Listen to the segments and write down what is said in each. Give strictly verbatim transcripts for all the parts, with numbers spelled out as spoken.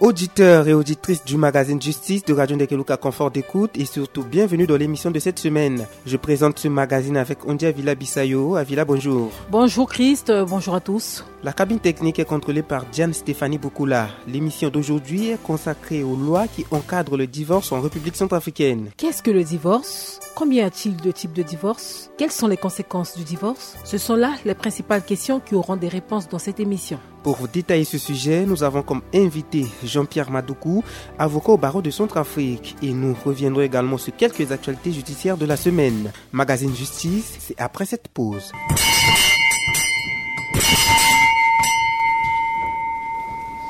Auditeurs et auditrices du magazine Justice de Radio Ndekeluka, confort d'écoute et surtout bienvenue dans l'émission de cette semaine. Je présente ce magazine avec Ondi Avila Bissayo. Avila, bonjour. Bonjour Christ, euh, bonjour à tous. La cabine technique est contrôlée par Diane Stéphanie Boukoula. L'émission d'aujourd'hui est consacrée aux lois qui encadrent le divorce en République centrafricaine. Qu'est-ce que le divorce ? Combien y a-t-il de types de divorce ? Quelles sont les conséquences du divorce ? Ce sont là les principales questions qui auront des réponses dans cette émission. Pour détailler ce sujet, nous avons comme invité Jean-Pierre Madoukou, avocat au barreau de Centrafrique. Et nous reviendrons également sur quelques actualités judiciaires de la semaine. Magazine Justice, c'est après cette pause.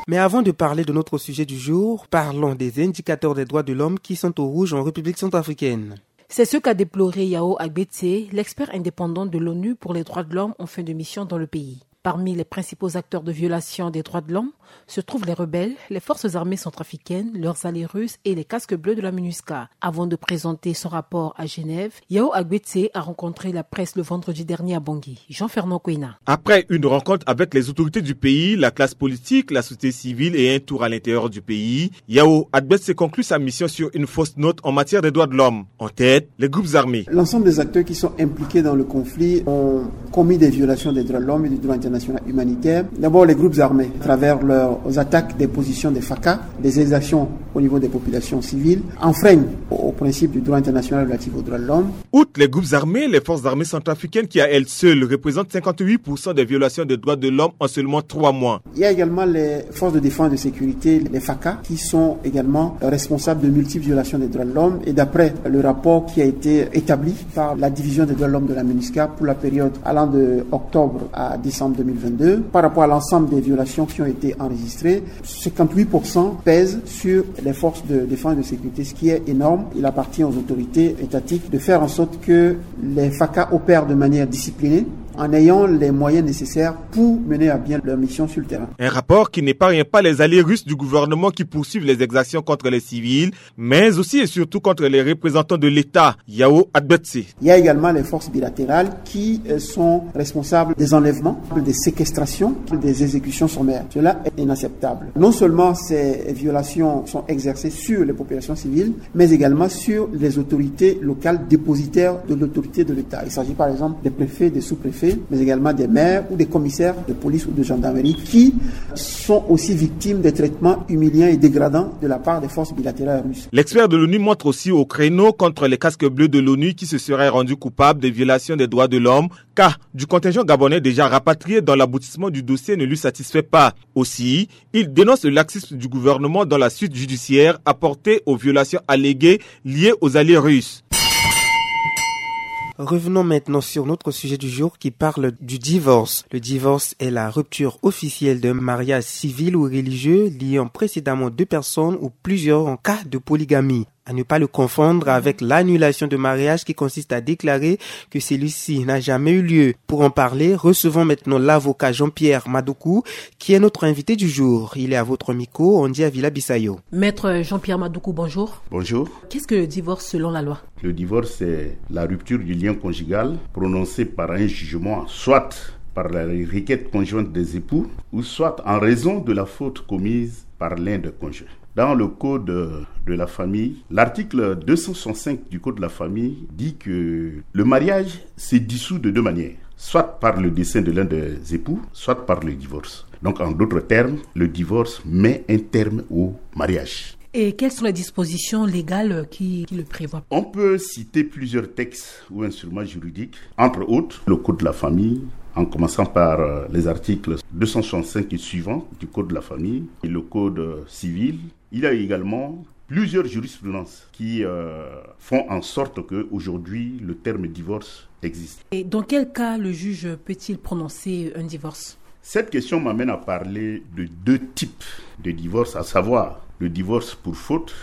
Mais avant de parler de notre sujet du jour, parlons des indicateurs des droits de l'homme qui sont au rouge en République centrafricaine. C'est ce qu'a déploré Yao Agbetse, l'expert indépendant de l'ONU pour les droits de l'homme en fin de mission dans le pays. Parmi les principaux acteurs de violation des droits de l'homme se trouvent les rebelles, les forces armées centrafricaines, leurs alliés russes et les casques bleus de la MINUSCA. Avant de présenter son rapport à Genève, Yao Agbetse a rencontré la presse le vendredi dernier à Bangui. Jean-Fernand Kouina. Après une rencontre avec les autorités du pays, la classe politique, la société civile et un tour à l'intérieur du pays, Yao Agbetse conclut sa mission sur une fausse note en matière des droits de l'homme. En tête, les groupes armés. L'ensemble des acteurs qui sont impliqués dans le conflit ont commis des violations des droits de l'homme et du droit international humanitaire. D'abord, les groupes armés, à travers leurs attaques des positions des FACA, des exactions au niveau des populations civiles, enfreignent au, au principe du droit international relatif aux droits de l'homme. Outre les groupes armés, les forces armées centrafricaines qui à elles seules représentent cinquante-huit pour cent des violations des droits de l'homme en seulement trois mois. Il y a également les forces de défense et de sécurité, les FACA, qui sont également responsables de multiples violations des droits de l'homme. Et d'après le rapport qui a été établi par la division des droits de l'homme de la MINUSCA pour la période allant de octobre à décembre deux mille vingt-deux, par rapport à l'ensemble des violations qui ont été enregistrées, cinquante-huit pour cent pèsent sur les forces de défense et de sécurité, ce qui est énorme. Il appartient aux autorités étatiques de faire en sorte que les FACA opèrent de manière disciplinée, en ayant les moyens nécessaires pour mener à bien leur mission sur le terrain. Un rapport qui n'épargne pas les alliés russes du gouvernement qui poursuivent les exactions contre les civils, mais aussi et surtout contre les représentants de l'État, Yao Agbetse. Il y a également les forces bilatérales qui, euh, sont responsables des enlèvements, des séquestrations, des exécutions sommaires. Cela est inacceptable. Non seulement ces violations sont exercées sur les populations civiles, mais également sur les autorités locales dépositaires de l'autorité de l'État. Il s'agit par exemple des préfets, des sous-préfets, mais également des maires ou des commissaires de police ou de gendarmerie qui sont aussi victimes des traitements humiliants et dégradants de la part des forces bilatérales russes. L'expert de l'ONU montre aussi au créneau contre les casques bleus de l'ONU qui se seraient rendus coupables des violations des droits de l'homme, car du contingent gabonais déjà rapatrié dont l'aboutissement du dossier ne lui satisfait pas. Aussi, il dénonce le laxisme du gouvernement dans la suite judiciaire apportée aux violations alléguées liées aux alliés russes. Revenons maintenant sur notre sujet du jour qui parle du divorce. Le divorce est la rupture officielle d'un mariage civil ou religieux liant précédemment deux personnes ou plusieurs en cas de polygamie. À ne pas le confondre avec l'annulation de mariage qui consiste à déclarer que celui-ci n'a jamais eu lieu. Pour en parler, recevons maintenant l'avocat Jean-Pierre Madoukou, qui est notre invité du jour. Il est à votre micro, Ondi Avila Bissayo. Maître Jean-Pierre Madoukou, bonjour. Bonjour. Qu'est-ce que le divorce selon la loi ? Le divorce, c'est la rupture du lien conjugal prononcée par un jugement, soit par la requête conjointe des époux, ou soit en raison de la faute commise par l'un des conjoints. Dans le code de la famille, l'article deux cent soixante-cinq du code de la famille dit que le mariage se dissout de deux manières, soit par le décès de l'un des époux, soit par le divorce. Donc, en d'autres termes, le divorce met un terme au mariage. Et quelles sont les dispositions légales qui, qui le prévoient ? On peut citer plusieurs textes ou instruments juridiques, entre autres le code de la famille, en commençant par, euh, les articles deux cent soixante-cinq et suivants du code de la famille et le code, euh, civil. Il y a également plusieurs jurisprudences qui, euh, font en sorte qu'aujourd'hui, le terme divorce existe. Et dans quel cas le juge peut-il prononcer un divorce ? Cette question m'amène à parler de deux types de divorce, à savoir le divorce pour faute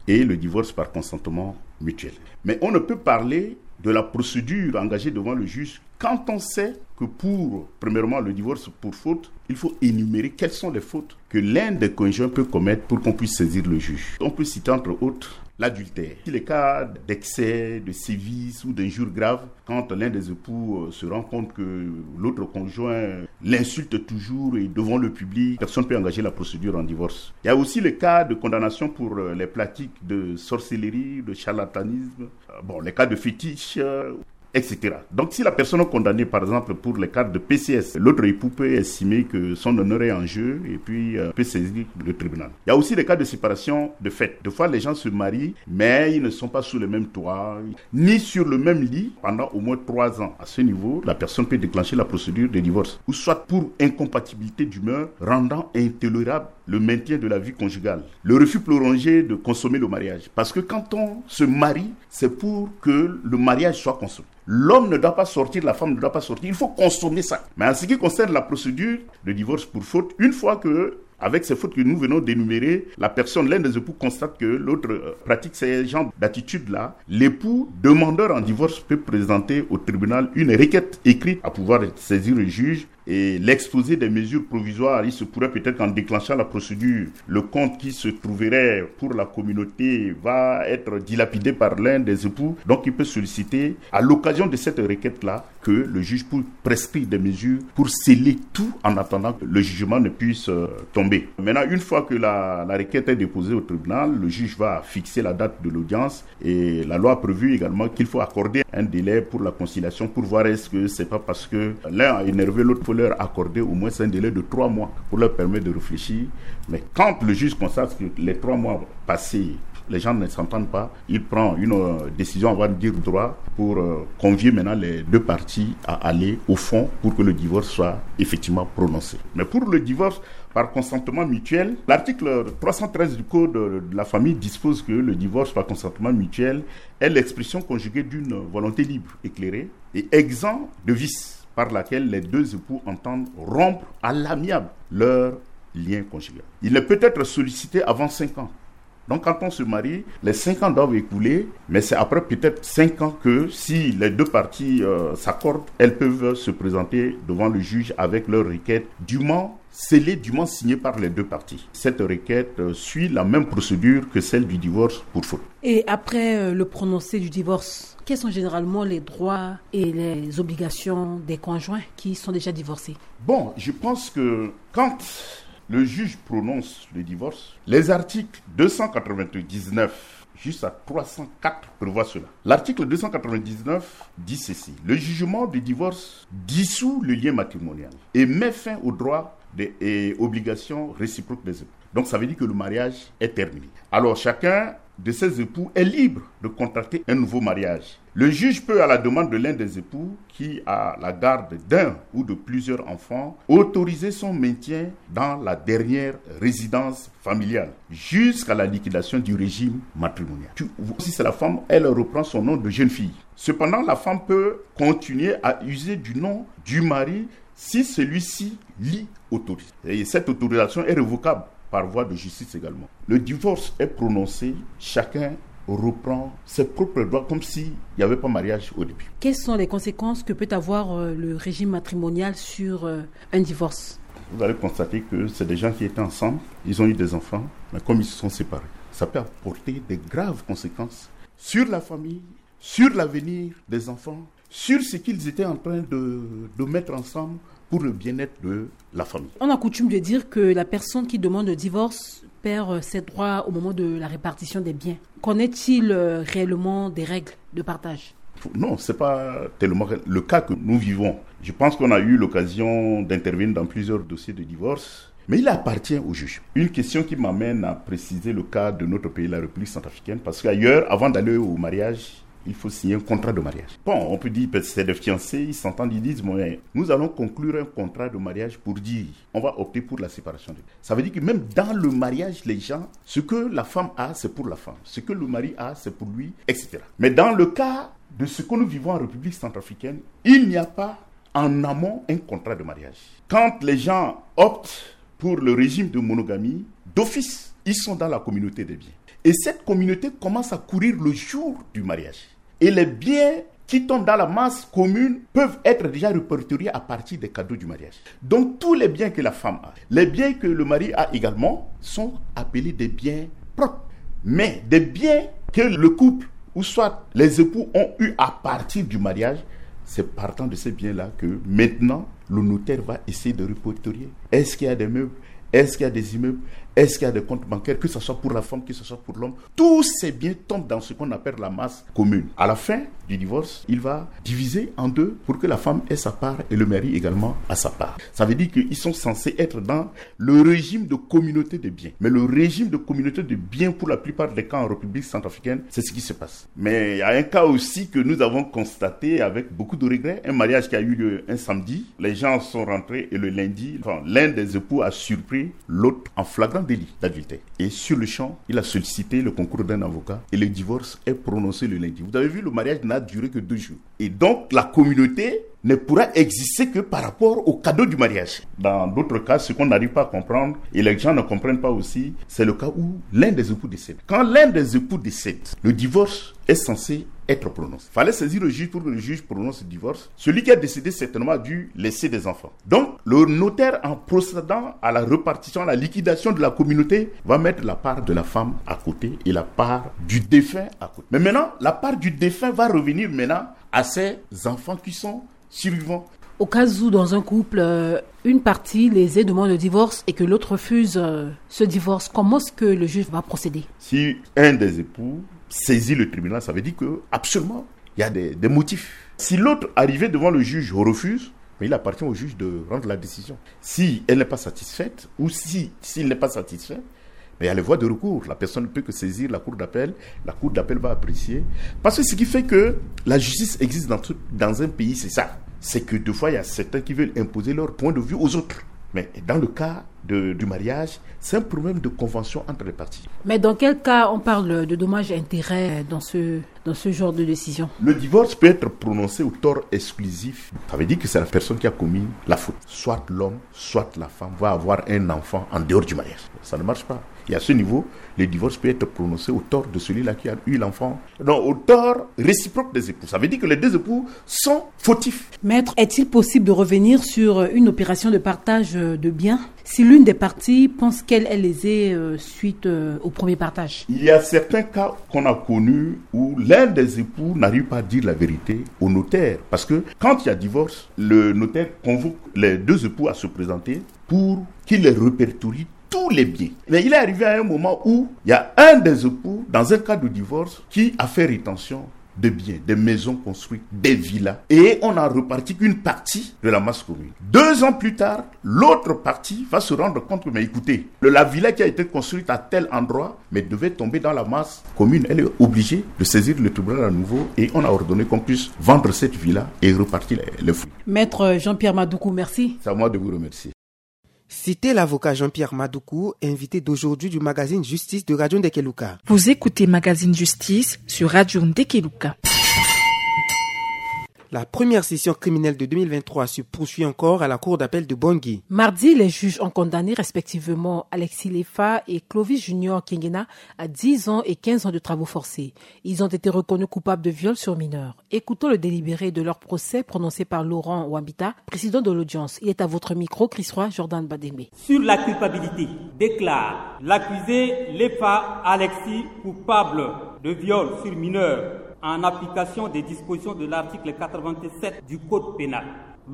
et le divorce par consentement mutuel. Mais on ne peut parler de la procédure engagée devant le juge quand on sait que pour, premièrement, le divorce pour faute, il faut énumérer quelles sont les fautes que l'un des conjoints peut commettre pour qu'on puisse saisir le juge. On peut citer entre autres l'adultère. Si les cas d'excès, de sévices ou d'injures graves, quand l'un des époux euh, se rend compte que l'autre conjoint l'insulte toujours et devant le public, personne ne peut engager la procédure en divorce. Il y a aussi les cas de condamnation pour euh, les pratiques de sorcellerie, de charlatanisme, euh, bon, les cas de fétiche, euh, et cetera. Donc, si la personne est condamnée, par exemple, pour les cas de P C S, l'autre époux peut estimer que son honneur est en jeu et puis euh, peut saisir le tribunal. Il y a aussi les cas de séparation de fait. Des fois, les gens se marient, mais ils ne sont pas sous le même toit, ni sur le même lit pendant au moins trois ans. À ce niveau, la personne peut déclencher la procédure de divorce. Ou soit pour incompatibilité d'humeur, rendant intolérable le maintien de la vie conjugale. Le refus prolongé de consommer le mariage. Parce que quand on se marie, c'est pour que le mariage soit consommé. L'homme ne doit pas sortir, la femme ne doit pas sortir. Il faut consommer ça. Mais en ce qui concerne la procédure de divorce pour faute, une fois que, avec ces fautes que nous venons d'énumérer, la personne, l'un des époux constate que l'autre euh, pratique ces genres d'attitudes-là, l'époux demandeur en divorce peut présenter au tribunal une requête écrite à pouvoir saisir le juge et l'exposé des mesures provisoires. Il se pourrait peut-être qu'en déclenchant la procédure, le compte qui se trouverait pour la communauté va être dilapidé par l'un des époux. Donc il peut solliciter, à l'occasion de cette requête-là, que le juge peut prescrire des mesures pour sceller tout en attendant que le jugement ne puisse euh, tomber. Maintenant, une fois que la, la requête est déposée au tribunal, le juge va fixer la date de l'audience et la loi a prévu également qu'il faut accorder un délai pour la conciliation pour voir est-ce que c'est pas parce que l'un a énervé l'autre, il faut leur accorder au moins un délai de trois mois pour leur permettre de réfléchir. Mais quand le juge constate que les trois mois passés, les gens ne s'entendent pas, il prend une euh, décision, on va dire droit, pour euh, convier maintenant les deux parties à aller au fond pour que le divorce soit effectivement prononcé. Mais pour le divorce par consentement mutuel, l'article trois cent treize du Code de la famille dispose que le divorce par consentement mutuel est l'expression conjuguée d'une volonté libre, éclairée et exempte de vice par laquelle les deux époux entendent rompre à l'amiable leur lien conjugal. Il ne peut être sollicité avant cinq ans. Donc quand on se marie, les cinq ans doivent écouler, mais c'est après peut-être cinq ans que si les deux parties euh, s'accordent, elles peuvent se présenter devant le juge avec leur requête dûment scellée, dûment signée par les deux parties. Cette requête euh, suit la même procédure que celle du divorce pour faute. Et après euh, le prononcé du divorce, quels sont généralement les droits et les obligations des conjoints qui sont déjà divorcés ? Bon, je pense que quand le juge prononce le divorce, les articles deux cent quatre-vingt-dix-neuf jusqu'à trois cent quatre prévoient cela. L'article deux cent quatre-vingt-dix-neuf dit ceci : le jugement de divorce dissout le lien matrimonial et met fin aux droits et obligations réciproques des époux. Donc ça veut dire que le mariage est terminé. Alors chacun de ces époux est libre de contracter un nouveau mariage. Le juge peut, à la demande de l'un des époux qui a la garde d'un ou de plusieurs enfants, autoriser son maintien dans la dernière résidence familiale jusqu'à la liquidation du régime matrimonial. Tu vois, si c'est la femme, elle reprend son nom de jeune fille. Cependant, la femme peut continuer à user du nom du mari si celui-ci l'y autorise. Et cette autorisation est révocable par voie de justice également. Le divorce est prononcé, chacun reprend ses propres droits comme s'il n'y avait pas mariage au début. Quelles sont les conséquences que peut avoir euh, le régime matrimonial sur euh, un divorce ? Vous allez constater que c'est des gens qui étaient ensemble, ils ont eu des enfants, mais comme ils se sont séparés, ça peut apporter des graves conséquences sur la famille, sur l'avenir des enfants, sur ce qu'ils étaient en train de, de mettre ensemble pour le bien-être de la famille. On a coutume de dire que la personne qui demande le divorce perd euh, ses droits au moment de la répartition des biens. Qu'en est-il euh, réellement des règles de partage ? Non, ce n'est pas tellement le cas que nous vivons. Je pense qu'on a eu l'occasion d'intervenir dans plusieurs dossiers de divorce, mais il appartient au juge. Une question qui m'amène à préciser le cas de notre pays, la République centrafricaine, parce qu'ailleurs, avant d'aller au mariage, il faut signer un contrat de mariage. Bon, on peut dire que c'est des fiancés, ils s'entendent, ils disent, mais nous allons conclure un contrat de mariage pour dire, on va opter pour la séparation. Ça veut dire que même dans le mariage, les gens, ce que la femme a, c'est pour la femme. Ce que le mari a, c'est pour lui, et cetera. Mais dans le cas de ce que nous vivons en République centrafricaine, il n'y a pas en amont un contrat de mariage. Quand les gens optent pour le régime de monogamie, d'office, ils sont dans la communauté des biens. Et cette communauté commence à courir le jour du mariage. Et les biens qui tombent dans la masse commune peuvent être déjà répertoriés à partir des cadeaux du mariage. Donc tous les biens que la femme a, les biens que le mari a également, sont appelés des biens propres. Mais des biens que le couple ou soit les époux ont eu à partir du mariage, c'est partant de ces biens-là que maintenant le notaire va essayer de répertorier. Est-ce qu'il y a des meubles? Est-ce qu'il y a des immeubles? Est-ce qu'il y a des comptes bancaires, que ce soit pour la femme, que ce soit pour l'homme? Tous ces biens tombent dans ce qu'on appelle la masse commune. À la fin du divorce, il va diviser en deux pour que la femme ait sa part et le mari également a sa part. Ça veut dire qu'ils sont censés être dans le régime de communauté de biens. Mais le régime de communauté de biens, pour la plupart des cas en République centrafricaine, c'est ce qui se passe. Mais il y a un cas aussi que nous avons constaté avec beaucoup de regrets. Un mariage qui a eu lieu un samedi. Les gens sont rentrés et le lundi, enfin, l'un des époux a surpris l'autre en flagrant délit d'adultère. Et sur le champ, il a sollicité le concours d'un avocat et le divorce est prononcé le lundi. Vous avez vu, le mariage n'a duré que deux jours. Et donc, la communauté ne pourra exister que par rapport au cadeau du mariage. Dans d'autres cas, ce qu'on n'arrive pas à comprendre, et les gens ne comprennent pas aussi, c'est le cas où l'un des époux décède. Quand l'un des époux décède, le divorce est censé être prononcé. Fallait saisir le juge pour que le juge prononce le divorce. Celui qui a décédé certainement a dû laisser des enfants. Donc, le notaire, en procédant à la répartition, à la liquidation de la communauté, va mettre la part de la femme à côté et la part du défunt à côté. Mais maintenant, la part du défunt va revenir maintenant à ses enfants qui sont survivants. Au cas où, dans un couple, euh, une partie, les deux, demande le divorce et que l'autre refuse, euh, ce divorce, comment est-ce que le juge va procéder? Si un des époux saisit le tribunal, ça veut dire que absolument, il y a des, des motifs. Si l'autre, arrivé devant le juge, refuse, mais il appartient au juge de rendre la décision. Si elle n'est pas satisfaite, ou si, s'il n'est pas satisfait, mais il y a les voies de recours. La personne ne peut que saisir la cour d'appel. La cour d'appel va apprécier. Parce que ce qui fait que la justice existe dans, tout, dans un pays, c'est ça. C'est que des fois, il y a certains qui veulent imposer leur point de vue aux autres. Mais dans le cas de, du mariage, c'est un problème de convention entre les parties. Mais dans quel cas on parle de dommages et intérêts dans ce, dans ce genre de décision? Le divorce peut être prononcé au tort exclusif. Ça veut dire que c'est la personne qui a commis la faute. Soit l'homme, soit la femme va avoir un enfant en dehors du mariage. Ça ne marche pas. Et à ce niveau, le divorce peut être prononcé au tort de celui-là qui a eu l'enfant. Non, au tort réciproque des époux. Ça veut dire que les deux époux sont fautifs. Maître, est-il possible de revenir sur une opération de partage de biens si l'une des parties pense qu'elle est lésée, euh, suite, euh, au premier partage? Il y a certains cas qu'on a connus où l'un des époux n'arrive pas à dire la vérité au notaire. Parce que quand il y a divorce, le notaire convoque les deux époux à se présenter pour qu'il les répertorie tous les biens. Mais il est arrivé à un moment où il y a un des époux, dans un cas de divorce, qui a fait rétention de biens, des maisons construites, des villas. Et on a reparti qu'une partie de la masse commune. Deux ans plus tard, l'autre partie va se rendre compte que, mais écoutez, le, la villa qui a été construite à tel endroit, mais devait tomber dans la masse commune. Elle est obligée de saisir le tribunal à nouveau et on a ordonné qu'on puisse vendre cette villa et repartir les, les fruits. Maître Jean-Pierre Madoukou, merci. C'est à moi de vous remercier. C'était l'avocat Jean-Pierre Madoukou, invité d'aujourd'hui du magazine Justice de Radio Ndekeluka. Vous écoutez Magazine Justice sur Radio Ndekeluka. La première session criminelle de deux mille vingt-trois se poursuit encore à la cour d'appel de Bangui. Mardi, les juges ont condamné respectivement Alexis Lefa et Clovis Junior Kengena à dix ans et quinze ans de travaux forcés. Ils ont été reconnus coupables de viol sur mineur. Écoutons le délibéré de leur procès prononcé par Laurent Wambita, président de l'audience. Il est à votre micro, Chrisroy Jordan Badembe. Sur la culpabilité, déclare l'accusé Lefa Alexis coupable de viol sur mineur en application des dispositions de l'article quatre-vingt-sept du Code pénal.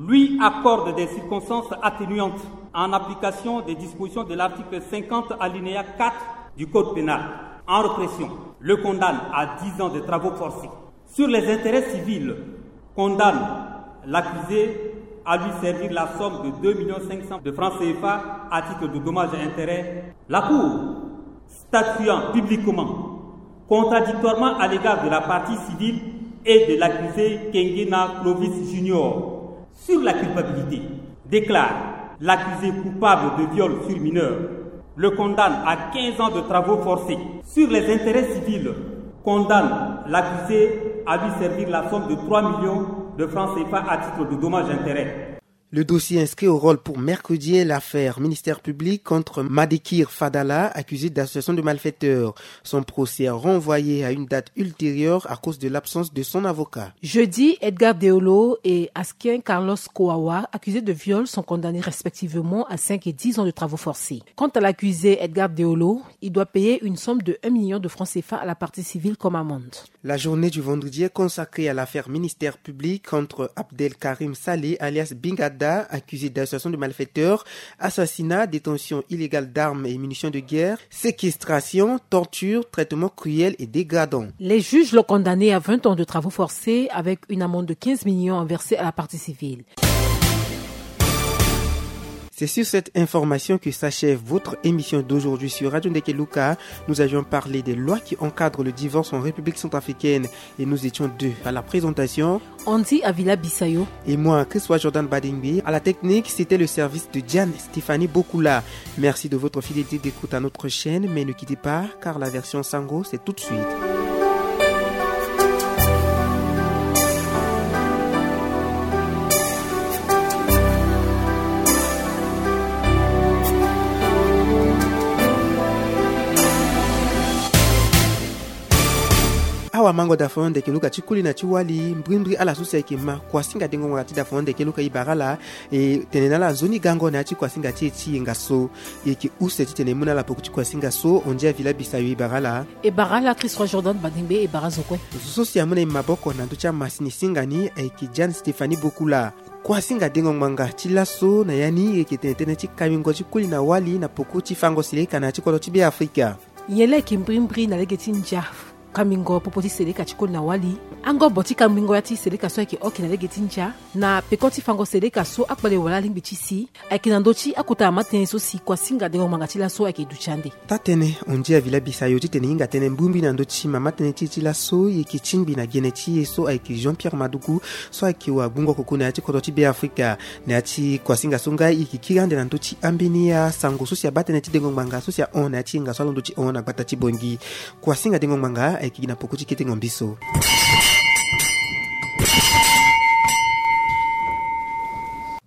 Lui accorde des circonstances atténuantes en application des dispositions de l'article cinquante alinéa quatre du Code pénal. En répression, le condamne à dix ans de travaux forcés. Sur les intérêts civils, condamne l'accusé à lui servir la somme de deux millions cinq cents de francs C F A à titre de dommages et intérêts. La Cour, statuant publiquement contradictoirement à l'égard de la partie civile et de l'accusé Kengena Clovis Junior, sur la culpabilité, déclare l'accusé coupable de viol sur mineur, le condamne à quinze ans de travaux forcés. Sur les intérêts civils, condamne l'accusé à lui servir la somme de trois millions de francs C F A à titre de dommages et intérêts. Le dossier inscrit au rôle pour mercredi est l'affaire ministère public contre Madekir Fadala, accusé d'association de malfaiteurs. Son procès renvoyé à une date ultérieure à cause de l'absence de son avocat. Jeudi, Edgar Deolo et Askin Carlos Koawa, accusés de viol, sont condamnés respectivement à cinq et dix ans de travaux forcés. Quant à l'accusé Edgar Deolo, il doit payer une somme de un million de francs C F A à la partie civile comme amende. La journée du vendredi est consacrée à l'affaire ministère public contre Abdel Karim Saleh alias Bingada, accusé d'association de malfaiteurs, assassinat, détention illégale d'armes et munitions de guerre, séquestration, torture, traitement cruel et dégradant. Les juges l'ont condamné à vingt ans de travaux forcés avec une amende de quinze millions versée à la partie civile. C'est sur cette information que s'achève votre émission d'aujourd'hui sur Radio Ndekeluka. Nous avions parlé des lois qui encadrent le divorce en République centrafricaine et nous étions deux à la présentation. Andy Avila Bissayo. Et moi, Christophe Jordan Badingbe. À la technique, c'était le service de Diane Stéphanie Bokula. Merci de votre fidélité d'écoute à notre chaîne, mais ne quittez pas, car la version Sango, c'est tout de suite. Awa mango da fo ndeke luka ti kuli na ti wali mbrimbri ala so si ayeke ma kuasinga dengo ngbanga ti da fo ndeke luka e bara ala. E tene na ala nzoni gango na ya ti kuasinga ti e ti yenga so. E yeke use titene e mu na ala poko ti kuasinga so. Ondia vila bisayo e bara ala. E bara ala Christ Roi Jordan Badingbe e bara zo kue. Zo so si amu na e maboko na ndö ti amasini singa ni ayeke Jeanne Stéphanie Bokula. Kuasinga dengo ngbanga ti laso na ya ni e yeke tene tënë ti kambingo ti kuli na wali na poko ti fango seleka na ya ti kodro ti Beafrika. Nyen la yeke mbrimbri na lege ti ndia kambingo popo ti seleka ti koli na wali. Angobo ti kambingo ya ti seleka so ayeke oki na lege ti ndia na peko ti fango seleka so akpale wala alingbi ti si ayeke na ndö ti akota mama tënë so si kuasinga dengo ngbanga ti laso ayeke duti ande. Taa-tënë Ondia Vila Bisayo titene e hinga tënë mbrimbri na ndö ti mama tënë ti e ti laso e yeke tingbi na gene ti e so ayeke Jean Pierre Madugu so ayeke wagbungo koko na ya ti kodro ti Beafrika. Na ya ti kuasinga so nga e yeke kiri ande na ndö ti ambeni asango so si abaa tënë ti dengo ngbanga so si ahon na ya ti yenga so alondo ti hon na gbata ti Bongi. Kuasinga dengo ngbanga ayeke gi na poko ti kete ngombi so.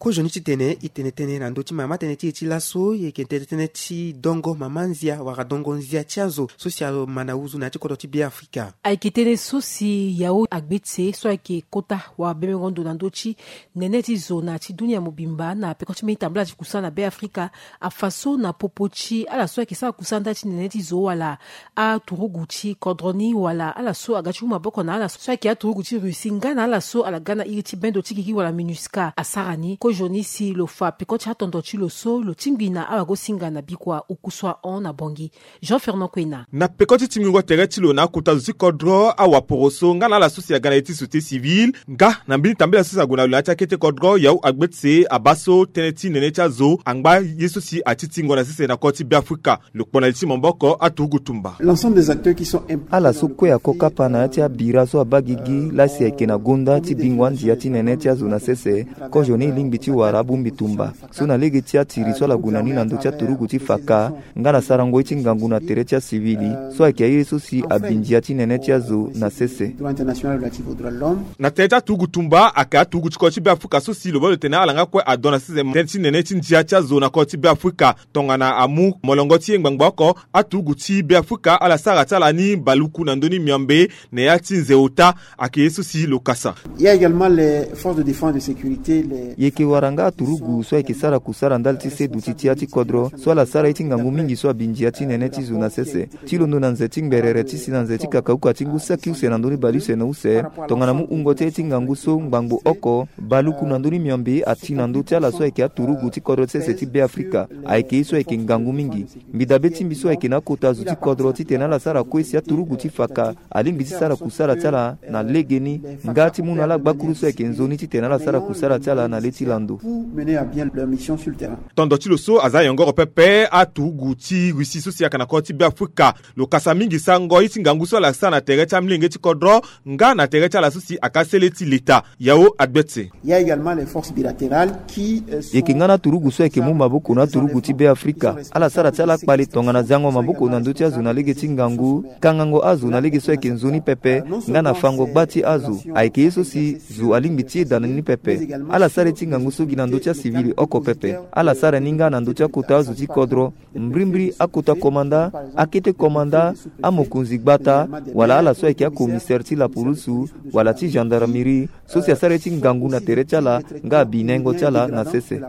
Kozoni titene e tene tënë na ndö ti mama tënë ti e ti laso e yeke tene tënë ti dongo mama nzia wala dongo nzia ti azo so si ama na uzu na ya ti kodro ti Beafrika. Ayeke tënë so si Yao Agbetse so ayeke kota wala bebengo ndo na ndö ti nene ti zo na ya ti dunia mobimba na peko ti mbeni tambala ti kusala na Beafrika afa so na popo ti ala so ayeke sara kusala ndali ti nene ti zo wala aturugu ti kodro ni wala ala so aga ti mu maboko na ala so ayeke aturugu ti Russie nga na ala so ala ga na iri ti bendo ti gigi wala MINUSCA asara ni. Kozoni si lo fa peko ti atondo ti lo so lo tingbi na awagosinga na bikua oku so ahon na Bongi. Jean Fernand Kwena. Na peko ti tingbingo tere ti lo na akota zo ti kodro awaporoso nga na ala so si aga na ye ti société civile nga na mbeni tambela so si ague na lo na ya ti akete kodro Yao Agbetse abaa so tënë ti nene ti azo angba ye so si atitingo na sese na kodro ti Beafrika. Lo kpo na li ti maboko aturugu tumba. L'ensemble des acteurs qui sont impl- Ala so kue ako kapa na ya ti abira so abaa gigi laa si ayeke na gonda ti bingo andia ti nene ti azo na sese. Kozoni e lingbi ti wara abongbi tumba so na lege ti atiri so ala gue na ni na ndö ti aturugu ti faka nga na sarango ye ti ngangu na tere ti asivili so ayeke aye so si abi ndia ti nene ti azo na sese. Droit international relatif aux droits de l'homme. Na tere ti aturugu tumba ayeke aturugu ti kodro ti Beafrika so si lo baa lo tene ala nga kue adon na sese tënë ti nene ti ndia ti azo na kodro ti Beafrika. Tongana amu molongo ti ye ngbangba oko aturugu ti Beafrika ala sara ti ala ni baluku na ndö ni miombe na ya ti nze ota. Ayeke ye so si lo kasa. Il y a également les forces de défense de sécurité, les... E yeke wara nga aturugu so ayeke sara kusara ndali ti se duti ti ya ti kodro so ala sara ye ti ngangu mingi so abi ndia ti nene ti zo na sese. Ti londo na nze ti ngberere ti si na nze ti kakauka ti ngu saki use na ndö ni bale use na use tongana mu wungo ti aye ti ngangu so ngbangbo oko baluku na ndö ni miombe ati na ndö ti ala so ayeke aturugu ti kodro ti sese ti Beafrika. Ayeke ye so ayeke ngangu mingi. Mbi dabe ti mbi so ayeke na akota zo ti kodro titene ala sara kue si aturugu ti faka alingbi ti sara kusara ti ala na legeni nga ti mu na ala gbakuru so ayeke nzoni titene ala sara kusara ti ala na le ti lando. Pour mener à bien leur mission sur le terrain. Tondo ti lo so aza yongoro pepe aturugu ti Russie so si ayeke na kodro ti Beafrika. Lo kasa mingi sarango ye ti ngangu so ala sara na tere ti amilenge ti kodro nga na tere ti ala so si aka sele ti leta. Yao Agbetse. Il y a également les forces bilatérales qui, euh, sont... E yeke nga na aturugu so ayeke mu maboko na aturugu ti Beafrika. Ala sara ti ala kpale tongana zango maboko na ndö ti azo na lege ti ngangu, kangango azo na lege so ayeke nzoni pepe nga na fango gba ti azo. Ayeke ye so si zo alingbi ti yeda na ni pepe. Ala sara ye ti ngangu So gi na ndö ti acivil oko pepe, ala sara ni nga na ndö ti akota azo ti kodro, mbrimbri akota komanda, akete komanda, amokonzi gbata, wala ala so ayeke akomisere ti laporusu wala ti gendarmerie, so si asara ye ti ngangu na tere ti ala nga abi nengo ti ala na sese.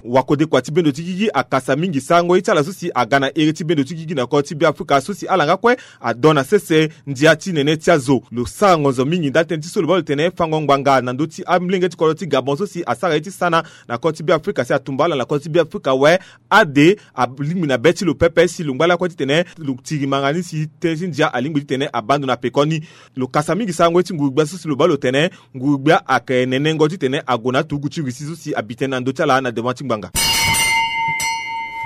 Wakodekua ti bendo ti gigi akasa mingi sarango ye ti ala so si aga na ere ti bendo ti gigi na kodro ti Beafrika so si ala nga kue adon na sese ndia ti nene ti azo. Lo sara ngonzo mingi ndali tënë ti so lo baa lo tene fango ngbanga na ndö ti amolenge ti kodro ti Gabon so si asara ye ti sana na kodro ti Beafrika si atumba ala na kodro ti Beafrika awe. Ade alingbi na be ti lo pepe si lo ngba lakue titene lo tiri manga ni si tënë ti ndia alingbi titene abaa ndo na pekoni. Lo kasa mingi sarango ye ti nguru-gbia so si lo baa lo tene nguru-gbia ayeke nenengo titene ague na aturugu ti Russie so si abi tënë na ndö ti ala na devant ti ngbanga.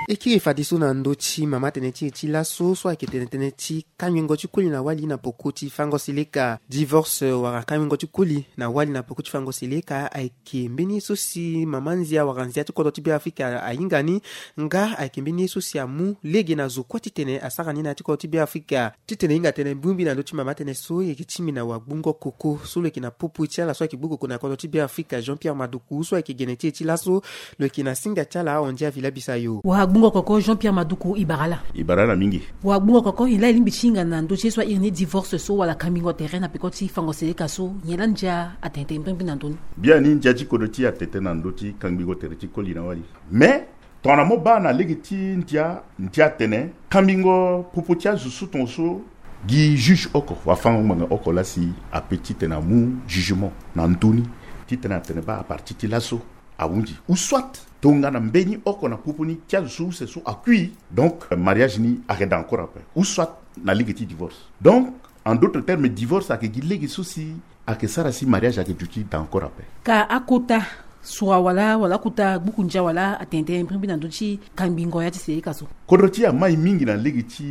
E kiri fadeso na ndö ti mama tënë ti e ti laso so ayeke tene tënë ti kangbingo ti koli na wali na peko ti fango seleka. Divorce wala kangbingo ti koli na wali na peko ti fango seleka ayeke mbeni ye so si mama nzia wala nzia ti kodro ti Beafrika ahinga ni, nga ayeke mbeni ye so si amu lege na zo kue titene asara ni na ya ti kodro ti Beafrika. Titene e hinga tënë bongbi na ndö ti mama tënë so, e yeke tingbi na wagbungo koko so lo yeke na popo ti ala so ayeke gbu koko na kodro ti Beafrika, Jean Pierre Maduku, so ayeke gene ti e ti laso. Lo yeke na singa ti ala ahon ndia Villa Bisayo. Wagbungo koko Jean Pierre Maduku, e bara ala. E bara ala mingi. Wagbungo koko, nyen laa e lingbi ti hinga na ndö ti ye so a iri ni divorce so wala kangbingo tere na peko ti fango seleka so, nyen laa ndia atene tene mbrimbri na ndö ni? Biani ndia ti kodro ti e atene tene na ndö ti kangbingo tere ti koli na wali. Mais tongana mo baa na lege ti ndia, ndia atene kangbingo popo ti azo so tongaso gi juge oko wala fango ngbanga oko laa si ape titene amu jugement na ndö ni, titene atene baa à partir ti laso ahunzi. Ou soit tongana mbeni oko na popo ni ti azo so use so akui, donc, euh, mariage ni ayeke daa encore ape. Ou soit na lege ti divorce. Donc, en d'autres termes, divorce ayeke gi lege so si ayeke sara si mariage ayeke duti daa encore ape. Ka akota sura wala, wala akota gbuku ndia wala atene tene mbrimbri na ndö ti kangbingo ya ti seleka so? Kodro ti e amai mingi na lege ti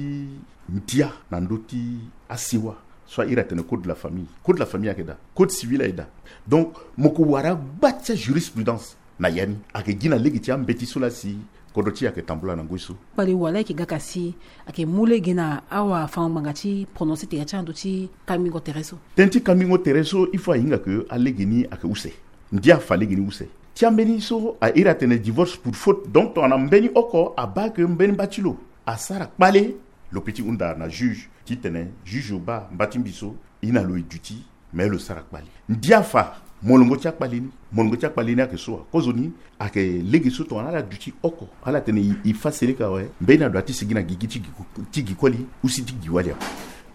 ndia na ndö ti asewa so a iri atene code de la famille. Code de la famille ayeke daa, code civil ayeke daa. Donc mo ko wara gba ti ajurisprudence na ya ni, ayeke gi na lege ti ambeti so laa si kodro ti e ayeke tambula na ngoi so. Kpale wala ayeke ga ka si ayeke mu lege na awafango-ngbanga ti prononcer tere ti ala na ndö ti kangbingo tere so? Tënë ti kangbingo tere so, il faut ahinga ke alege ni ayeke use. Ndia afa lege ni use. Ti ambeni so a iri atene divorce pour faute. Donc tongana mbeni oko abaa ke mbeni mba ti lo asara kpale, lo peut ti hunda na juge titene juge o baa mba ti mbi so, e na lo e duti, mais lo sara kpale. Ndia afa molongo ti akpale ni, molongo ti akpale ni ayeke so wa? Kozoni ayeke lege so tongana ala duti oko, ala tene e, e fa seleka awe, mbeni ado ati sigi na gigi ti gi, ti gi koli, ou si ti gi wali awe.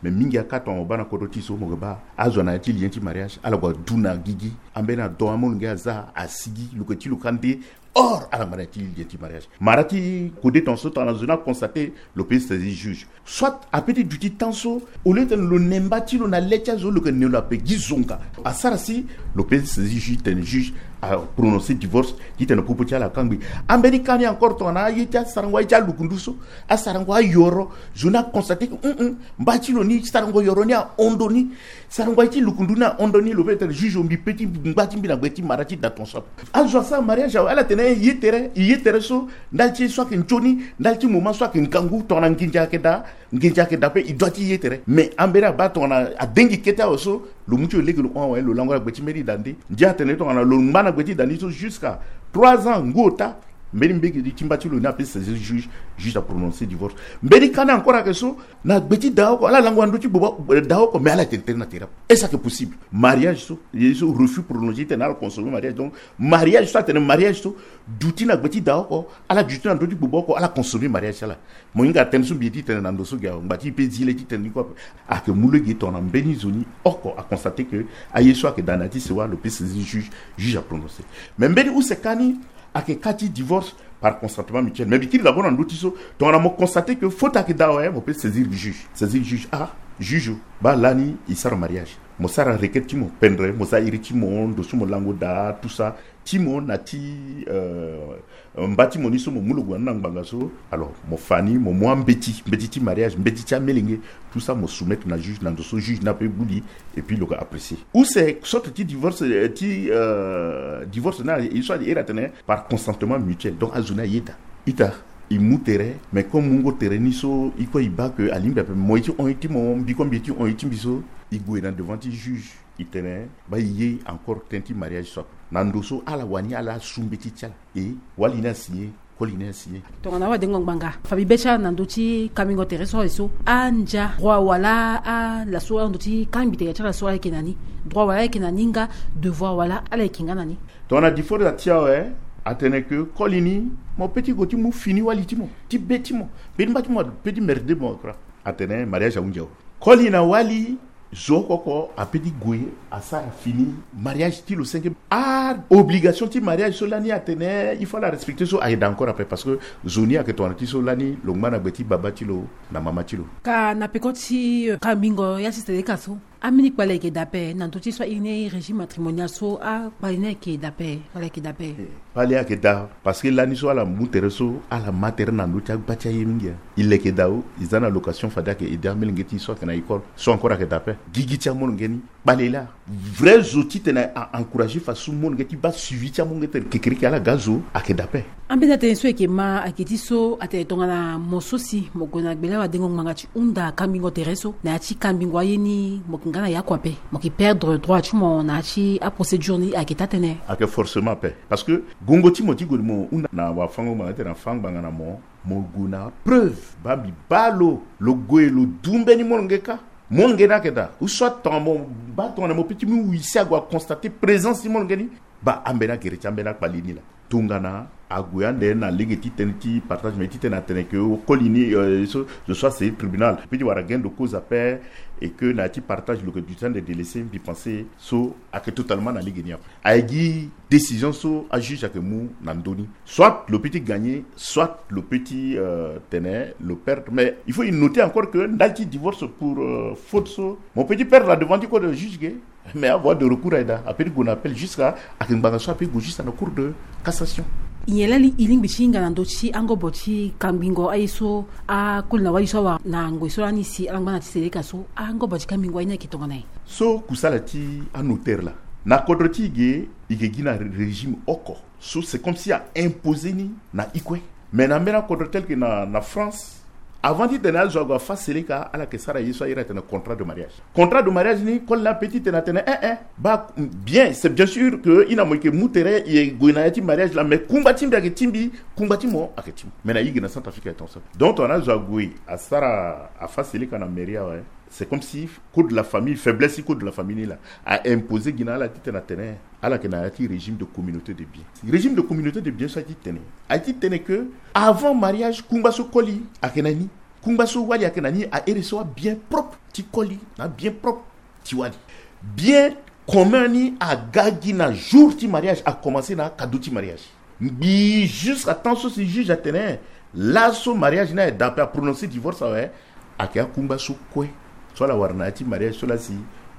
Mais mingi akâ tongana mo baa na kodro ti e so, mo yeke baa azo na ya ti lien ti mariage, ala gue adu na gigi, ambeni ado amolenge aza, asigi, lo yeke ti lo kande, hors ala ngba na ya ti lien ti mariage. Mara ti kode tongaso tongana zo ni aconstate, lo peut saisir juge. Soit apeut ti duti temps so, au lieu titene lo ne mba ti lo na le ti azo, lo yeke ne lo ape gi zonga. Asara si lo peut saisir juge titene juge aprononcer divorce titene popo ti ala akangbi. Ambeni ka ni encore tongana aye ti asarango aye ti alukundu so, asarango ayoro, zo ni aconstate ke, hum, hum, mba ti lo ni, sarango yoro ni ahon ndo ni, sarango aye ti lukundu ni ahon ndo ni, lo peut titene juge o, mbi peut ti ngba ti mbi na gbe ti mara ti da tongaso ape. Azo asara mariage awe, ala tene e ye tere, e ye tere so, ndali ti ye so ayeke nzoni, ndali ti moment so ayeke ngangu, tongana nginza ayeke daa, nginza ayeke daa ape, e doit ti ye tere. Mais ambeni abaa tongana adengi kete awe so, lo mu ti lo lege lo hon awe, lo lango na gbe ti mbeni da nde. Ndia atene tongana lo ngba na gbe ti da ni so jusqu'à trois ans, ngu ota, mbeni mbege ti mba ti lo ni apeut saisir juge, juge aprononcer divorce. Mbeni ka ni encore ayeke so, na gbe ti da oko, ala lango na ndö ti gboba, eh, da oko, mais ala tene tënë na tere ape. Est-ce que possible? Mariage so, ye so refus prolongé titene ala consommer mariage. Donc mariage so atene mariage so, duti na gbe ti da oko, ala duti na ndö ti gboba oko, ala consommer mariage ti ala. Mo hinga tënë so mbi ye titene na ndo so ge awe, ngba ti e peut zi le titene ni kue ape. Ayeke mu lege tongana mbeni zo ni oko aconstate ke aye so ayeke daa na ya ti sewa, lo peut saisir juge, juge aprononcer. Mais mbeni use ka ni ayeke ka ti divorce par consentement mutuel. Mais mbi kiri d'abord na ndö ti so, tongana mo constate ke faute ayeke daa awe, mo peut saisir juge. Saisir juge, ah, juge, baa lani e sara mariage, mo sara requête ti mo, pendre, mo za iri ti mo, ndo so mo lango daa, tout ça, ti mo na ti, euh, mba ti mo ni so mo mu lo gue na ni na ngbanga so. Alors mo fa ni, mo mu ambeti, mbeti ti mariage, mbeti ti amelenge, tout ça mo soumettre na juge, na ndo so juge ni ape gbu li, et puis lo yeke apprécier. Use sorte ti divorce, euh, ti, euh, divorce ni aye so a iri atene par consentement mutuel. Donc azo ni ayeda. Ita, E mu tere, mais comme mungo tere ni so, e kue e baa ke alingbi ape, mo ye ti hon ye ti mo, mbiko mbi ye ti hon ye ti mbi so, e gue na devant ti juge, e tene baa e ye encore ten ti mariage so ape. Na ndo so ala wani ala su mbeti ti ala. E wali ni asigné, koli ni asigné. Tongana wadengo ngbanga fa mbi be ti ala na ndö ti kambingo tere so aye so, andia droit wala ala so ala ndö ti kangbi tere ti ala so ala yeke na ni, droit wala ala yeke na ni nga, devoir wala ala yeke nga na ni. Tongana divorce ati awe, atene ke koli ni, mo pe ti gue ti mu fini wali ti mo, ti be ti mo, pe ti mba ti mo, pe ti merde mo kra. Atene mariage ahunzi awe. Koli na wali, zo oko oko ape ti gue asara fini mariage ti lo senge. A obligation ti mariage so lani atene il faut ala respecter so ayeda encore ape, parce que zo ni ayeke tongana ti so lani lo ngba na gbe ti baba ti lo na mama ti lo. Ka na peko ti eh, kambingo ya ti seleka so, ambeni kpale ayeke daa ape na ndö ti so a iri ni régime matrimonial so, akpale ni ayeke daa ape, kpale ayeke daa ape. Kpale ayeke daa, parce que lani so ala mu tere so ala ma tere na ndö ti agba ti aye mingi. E leke daa o, e za na location fade ayeke aidé amolenge ti e so ayeke na école so encore ayeke daa ape. Gigi ti amolenge ni kpale laa. Vrai zo titene a encourager faso molenge ti baa suivi ti amolenge tere kekereke ala ga zo ayeke daa ape. Ambeni atënë so e yeke ma ayeke ti so atene tongana mo so si mo gue na gbele awadengo ngbanga ti hunda kambingo tere so na ya ti kambingo aye ni, mo yeke nga na ya kua ape, mo yeke perdre droit ti mo na ya ti aprocédure ni, ayeke taa tënë? Ayeke forcément ape. Parce que gongo ti mo ti gue mo hunda na wafango ngbanga ti tene afa ngbanga na mo, mo gue na preuve baa mbi baa lo, lo gue lo du mbeni molenge kâ. Molenge ni ayeke daa, ou soit tongana mo baa tongana mo pe ti mu huissier ague aconstater présence ti molenge ni, baa ambeni agere ti ambeni akpali ni laa. Tongana ague ande na lege ti tënë ti partage, mais ti tene atene ke koli ni, euh, so, zo so asei tribunal pe ti wara gain de cause ape, et que na ya ti partage lo yeke du temps de délaisser, mbi pense so ayeke totalement na lege ni ape. Aye gi décision so ajuge ayeke mu na ndö ni. Soit lo pe ti gagner, soit lo pe ti, euh, tene lo perdre. Mais il faut e noter encore que ndali ti divorce pour, euh, faute so, mo pe ti perdre na devant ti cour de juge ge. Mais avoie de recours aye daa, ape ti gue na appel jusqu'à, ayeke ngbanga so ape gue jusqu'à na cour de cassation. Nyen lali e lingbi ti hinga na ndö ti angobo ti kambingo aye so, akoli na wali so awara na ngoi so lani si ala ngba na ti seleka so, angobo ti kambingo aye ni ayeke tongana nyen? So kusala ti anotaire laa, na kodro ti e ge, e ge gi na régime oko. So c'est comme si a imposer ni na e kue. Mais na mbeni akodro tel que na, na France, avant ti tene azo ague afa seleka, ala yeke sara ye so a iri atene contrat de mariage. Contrat de mariage ni, koli ni ape ti tene atene eh eh, baa, bien, c'est bien sûr que e na mo e yeke mu tere, e gue na ya ti mariage laa, mais kungba ti mbi ayeke ti mbi, kungba ti mo ayeke ti mo. Mais na e ge na Centrafrique ayeke tongaso. Donc tongana azo ague asara afa seleka na mairie awe, c'est comme si code de la famille, faiblesse ti code de la famille ni laa a imposer gi na ala ti tene atene ala yeke na ya ti régime de communauté de biens. Régime de communauté de biens so aye ti tene, aye ti tene que avant mariage kungba so koli ayeke na ni, kungba so wali ayeke na ni, a iri so abien propre ti koli na abien propre ti wali. Bien commun ni aga gi na jour ti mariage, a commencer na akado ti mariage. Mbi jusqu'à temps so si juge atene laso mariage ni aye daa ape, a prononcer divorce awe, ayeke akungba so kue so ala wara na ya ti mariage so laa si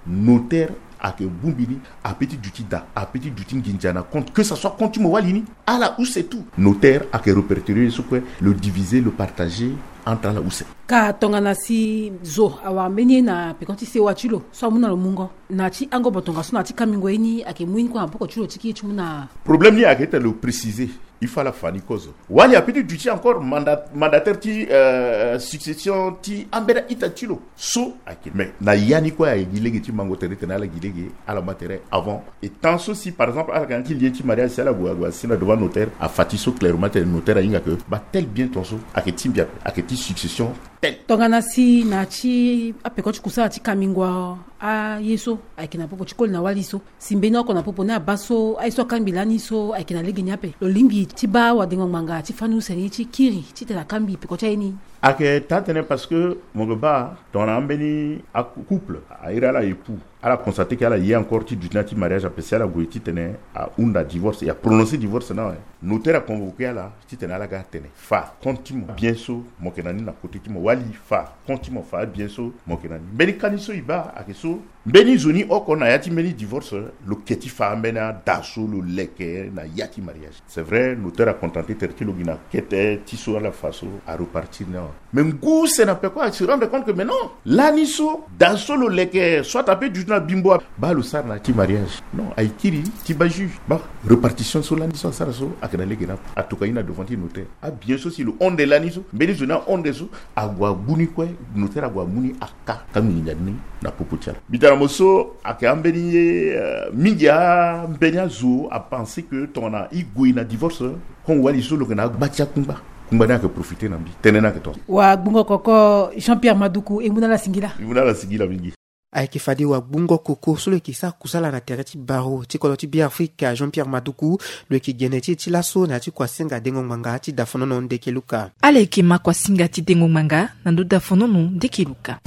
notaire ayeke bongbi ni, ape ti duti daa, ape ti duti nginza na compte, que ça soit compte ti mo wali ni, ala use tout. Notaire ayeke répertorier ye so kue, lo diviser, lo partager entre ala use. Ka tongana si zo awara mbeni ye na peko ti sewa ti lo so amu na lo mungo na ya ti angobo tongaso na ya ti kambingo ye ni, ayeke mu ye ni kue na poko ti lo ti kiri ti mu na. Problème ni ayeke ete lo préciser. Il faut ala fa ni kozo. Wali ape ti duti encore manda-, mandataire ti, euh, succession ti ambeni a-ita ti lo so ayeke. Mais na ya ni kue aye gi lege ti mango tere tene ala gi lege, ala ma tere avant. Et tant so si par exemple ala yeke na ya ti lien ti mariage, si ala gue, ague asi na devant notaire, afa ti so clairement tene notaire ahinga que baa tel bien tongaso ayeke ti mbi ape, ayeke ti succession tel. Tongana si na ya ti apeko ti kusala ti kambingo aye so ayeke na popo ti koli na wali so, si mbeni oko na popo ni abaa so aye so akangbi lani so ayeke na lege ni ape, lo lingbi ti baa wadengo ngbanga ti fani use ni ti kiri titene akangbi peko ti aye ni? Ayeke taa tënë parce que mo yeke baa tongana ambeni acouple, a iri ala époux, ala constater que ala ye encore ti duti na ya ti mariage ape, si ala gue titene ahunda divorce, e a prononcer divorce ni awe, notaire a convoquer ala titene ala ga atene fa compte ti mo, bien so mo yeke na ni na côté ti mo, wali fa compte ti mo, fa bien so mo yeke na ni. Mbeni kani so e baa ayeke so Mbeni zo ni oko na ya ti mbeni divorce, lo ke ti fa mbeni ada so lo leke na ya ti mariage. C'est vrai, notaire acontenté tere ti lo gi na kete ti so ala fa so arepartir ni awe. Mais ngu use na peko a se rendre compte que mais non, lani so da so lo leke soit ape duti na bimbo, baa lo sara na ya ti mariage. Non, aye kiri ti baa juge, baa repartition so lani so asara so ayeke na lege na ape. Atoka ye na devant ti notaire. Abien so si lo honde lani so, mbeni zo ni ahonde so, ague agu ni kue, notaire ague amu ni aka ka nginza ni na popo ti ala. Mbi tara mo so ayeke ambeni ye, euh, mingi ambeni azo apense que tongana e gue na divorce, kon wali so lo yeke na agba ti akungba, kungba ni ayeke profite na mbi. Tënë ni ayeke tongaso. Wagbungo koko Jean-Pierre Maduku, e mu na ala singila. E mu na ala singila mingi. Ayeke fade wagbungo koko so lo yeke sara kusala na tere ti baro ti kodro ti Beafrika, Jean-Pierre Maduku, lo yeke gene ti e ti laso na ya ti kuasinga dengo ngbanga ti dafonono ndeke luka. Ala yeke ma kuasinga ti dengo ngbanga na ndö dafonono ndeke luka.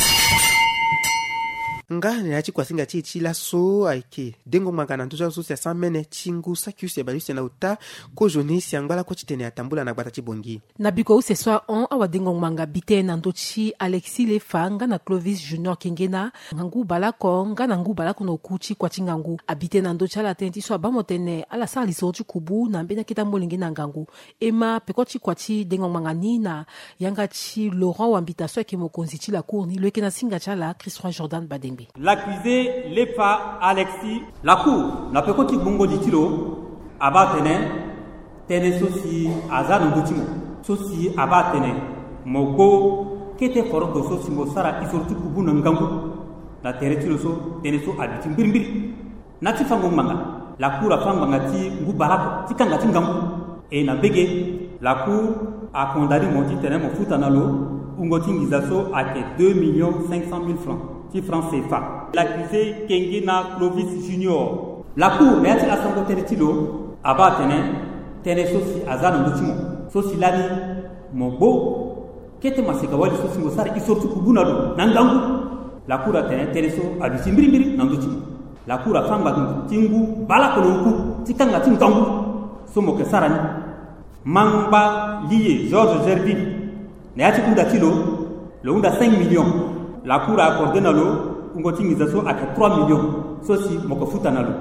Nga na ya ti kuasinga ti e ti laso ayeke dengo ngbanga na ndö ti azo so si asara mene ti ngu saki use bale use na ota, kozoni si angba lakue titene atambula na gbata ti Bangui. Na biko use so ahon, awadengo ngbanga bi tënë na ndö ti Alexis Lefa nga na Clovis Junior Kengena, ngangu baleoko nga na ngu baleoko na oku ti kua ti ngangu. Abi tënë na ndö ti ala tënë ti so abaa mo tene ala sara lisoro ti kubu na mbeni akete amolenge na ngangu. E ma peko ti kua ti dengo ngbanga ni na yanga ti Laurent Wambita so ayeke mokonzi ti la cour ni, lo yeke na singa ti ala Christ Roi Jordan Badengbe. L'accusé Lefa Alexis. La cour na peko ti gbungo li ti lo abaa atene, tënë so si aza na ndö ti mo, so si abaa atene mo gbo kete forogo so si mo sara isoro ti kubu na ngangu na tere ti lo so, tënë so aduti mbirimbiri. Na ya ti fango ngbanga, la cour afa ngbanga ti ngu baleoko ti kanga ti ngangu. E na mbege, la cour acondamné mo titene mo futa na lo wungo ti nginza so ayeke deux millions cinq cent mille francs ti francs C F A. L'accusé Kengena Clovis Junior. La cour na ya ti asango tënë ti lo abaa atene, tënë so si aza na ndö ti mo, so si lani mo gbo kete maseka wali so si mo sara isoro ti kubu na lo na ngangu. La cour atene tënë so aduti mbirimbiri na ndö ti mo. La cour afa ngbanga ti ngu baleoko na oku ti kanga ti ngangu so mo yeke sara ni. Mangba Liye Georges Gerville, na ya ti hunda ti lo, lo hunda cinq millions. La cour a accordé na lo wungo ti nginza so ayeke trois millions so si mo yeke futa na lo.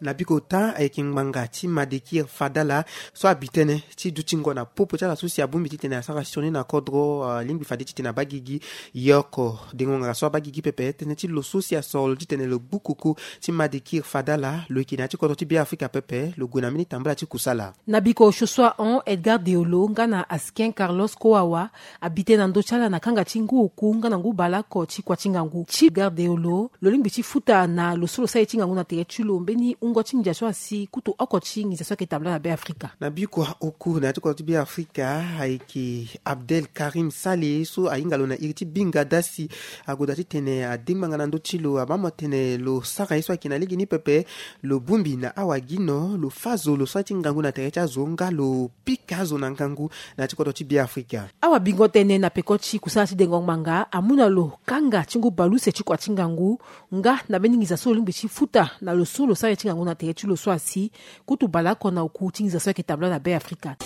Na biko ota ayeke ngbanga ti Madekir Fadala so abi tënë ti dutingo na popo ti ala so si abongbi titene asara sioni na kodro, ah, alingbi fade titene abaa gigi. Ye oko dengo ngbanga so abaa gigi pepe, tënë ti lo so si asoro lo titene lo gbu koko ti Madekir Fadala, lo yeke na ya ti kodro ti Beafrika pepe, lo gue na mbeni tambula ti kusala. Na biko osio so ahon, Edgar Deolo nga na Askin Carlos Kowawa abi tënë na ndö ti ala na kanga ti ngu oku nga na ngu baleoko ti kua ti ngangu. Ti Edgar Deolo, lo lingbi ti futa na lo so lo sara ye ti ngangu na tere ti lo mbeni wungo ti nginza so asi kutu oko ti nginza so ayeke tambula na Beafrika. Na biko oku na ya ti kodro ti Beafrika ayeke Abdel Karim Sale so ahinga lo na iri ti Binga Dasi. Agoda titene adengbanga na ndö ti lo, abaa mo tene lo sara ye so ayeke na lege ni pepe. Lo bongbi na awagino, lo fâ zo, lo sara ti ngangu na tere ti azo nga lo pika azo na ngangu na ya ti kodro ti Beafrika. Awabingo tënë na peko ti kusala ti dengo ngbanga amu na lo kanga ti ngu baleuse ti kua ti ngangu nga na mbeni nginza so lo lingbi ti futa na lo so lo sara ye ti ngangu na tere ti lo so asi kutu baleoko na oku ti nginza so ayeke tambula na Beafrika.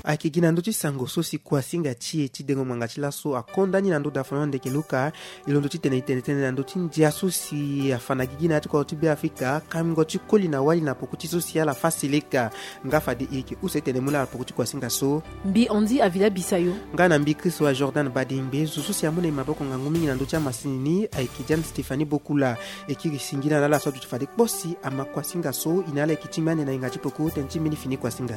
Ayeke gi na ndö ti sango so si kuasinga ti e ti dengo ngbanga ti laso akonda ni na ndö dafono ndeke luka. E londo titene e tene tënë na ndö ti ndia so si afa na gigi na ya ti kodro ti Beafrika, kango ti koli na wali na poko ti so si ala fa seleka. Nga fade e yeke use tene e mu na ala poko ti kuasinga so. Mbi Andy Avila Bisayo. Nga na mbi Christ Roi Jordan Badengbe. Zo so si amu na e maboko ngangu mingi na ndö ti amasini ni ayeke Diane Stéphanie Bokula. E kiri singila na ala so aduti fade kpo si ama kuasinga so. E na ala yeke ti mbi ande na hinga ti poko tënë ti mbeni fini kuasinga.